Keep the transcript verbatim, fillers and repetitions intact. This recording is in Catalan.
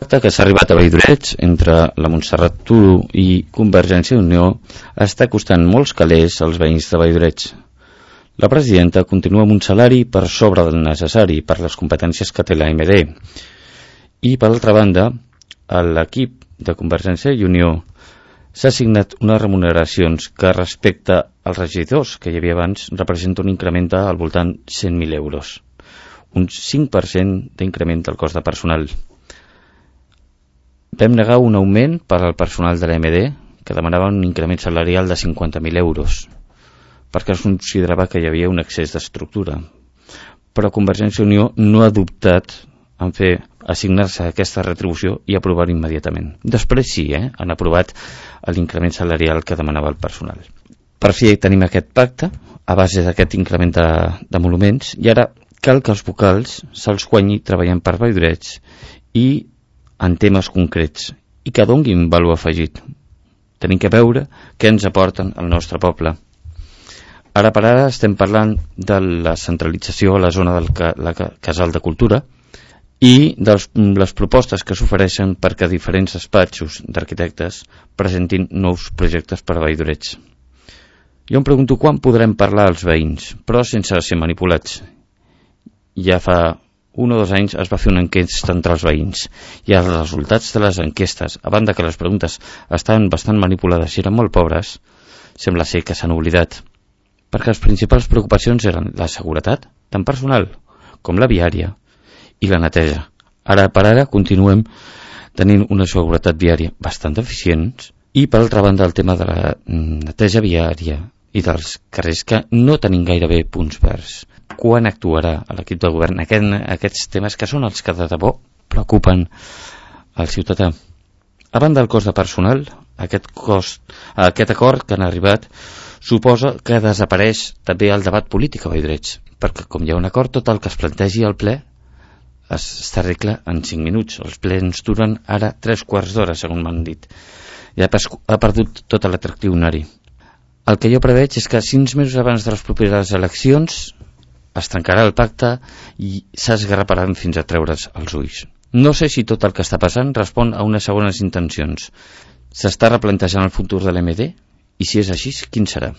L'acte que s'ha arribat a Valldoreix entre la Montserrat Turo i Convergència i Unió està costant molts calés als veïns de Valldoreix. La presidenta continua amb un salari per sobre del necessari per les competències que té l'A M D i, per altra banda, a l'equip de Convergència i Unió s'ha assignat unes remuneracions que, respecte als regidors que hi havia abans, representa un increment al voltant de cent mil euros, un cinc per cent d'increment del cost de personal. Vam negar un augment per al personal de l'A M D, que demanava un increment salarial de cinquanta mil euros, perquè es considerava que hi havia un excés d'estructura. Però Convergència i Unió no ha dubtat en fer assignar-se aquesta retribució i aprovar immediatament. Després sí, eh, han aprovat l'increment salarial que demanava el personal. Per fi tenim aquest pacte a base d'aquest increment de, de monuments, i ara cal que els vocals se'ls guanyi treballant per Valldoreix i en temes concrets, i que donguin valor afegit. Tenim que veure què ens aporten al nostre poble. Ara per ara estem parlant de la centralització a la zona del ca, la Casal de Cultura i de les propostes que s'ofereixen perquè diferents despatxos d'arquitectes presentin nous projectes per a Valldoreix. Jo em pregunto quan podrem parlar als veïns, però sense ser manipulats. Ja fa un o dos anys es va fer una enquesta entre els veïns i els resultats de les enquestes, a banda que les preguntes estaven bastant manipulades i eren molt pobres, sembla ser que s'han oblidat, perquè les principals preocupacions eren la seguretat, tant personal com la viària, i la neteja. Ara per ara continuem tenint una seguretat viària bastant deficient i, per altra banda, el tema de la neteja viària i dels carrers, que no tenim gairebé punts verds. Quan actuarà l'equip de govern aquest, aquests temes que són els que de debò preocupen al ciutadà? A banda del cost de personal, aquest, cost, aquest acord que han arribat suposa que desapareix també el debat polític a Valldoreix, perquè com hi ha un acord, tot el que es plantegi al ple s'arregla en cinc minuts. Els plens duren ara tres quarts d'hora, segons m'han dit. Ja ha perdut tot l'atractiu honari. El que jo preveig és que sis mesos abans de les properes eleccions es tancarà el pacte i s'esgarraparan fins a treure's els ulls. No sé si tot el que està passant respon a unes segones intencions. S'està replantejant el futur de l'A M D? I si és així, quin serà?